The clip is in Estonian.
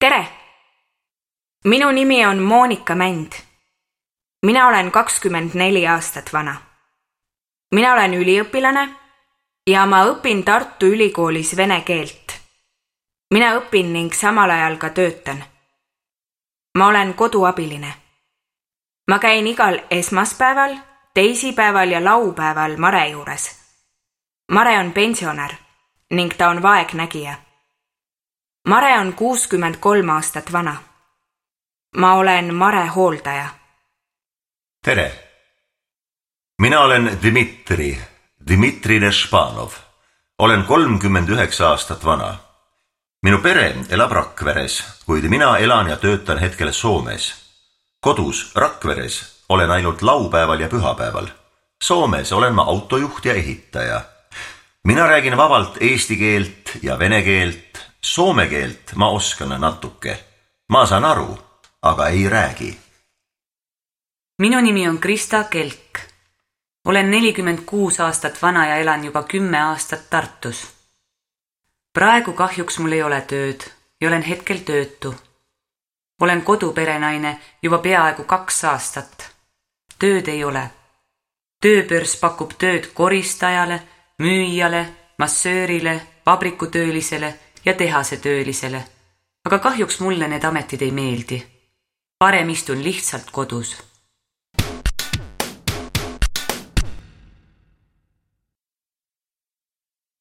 Tere! Minu nimi on Moonika Mänd. Mina olen 24 aastat vana. Mina olen üliõpilane ja ma õpin Tartu Ülikoolis vene keelt. Mina õpin ning samal ajal ka töötan. Ma olen koduabiline. Ma käin igal esmaspäeval, teisipäeval ja laupäeval Mare juures. Mare on pensionär ning ta on vaegnägija. Mare on 63 aastat vana. Ma olen Mare hooldaja. Tere! Mina olen Dmitri Nešpanov. Olen 39 aastat vana. Minu pere elab Rakveres, kuid mina elan ja töötan hetkel Soomes. Kodus Rakveres olen ainult laupäeval ja pühapäeval. Soomes olen ma autojuht ja ehitaja. Mina räägin vabalt eesti keelt ja vene keelt. Soome keelt ma oskan natuke. Ma saan aru, aga ei räägi. Minu nimi on Krista Kelk. Olen 46 aastat vana ja elan juba 10 aastat Tartus. Praegu kahjuks mul ei ole tööd ja olen hetkel töötu. Olen koduperenaine juba peaaegu 2 aastat. Tööd ei ole. Tööbörs pakub tööd koristajale, müüjale, massöörile, vabrikutöölisele ja tehasetöölisele, aga kahjuks mulle need ametid ei meeldi. Parem istun lihtsalt kodus.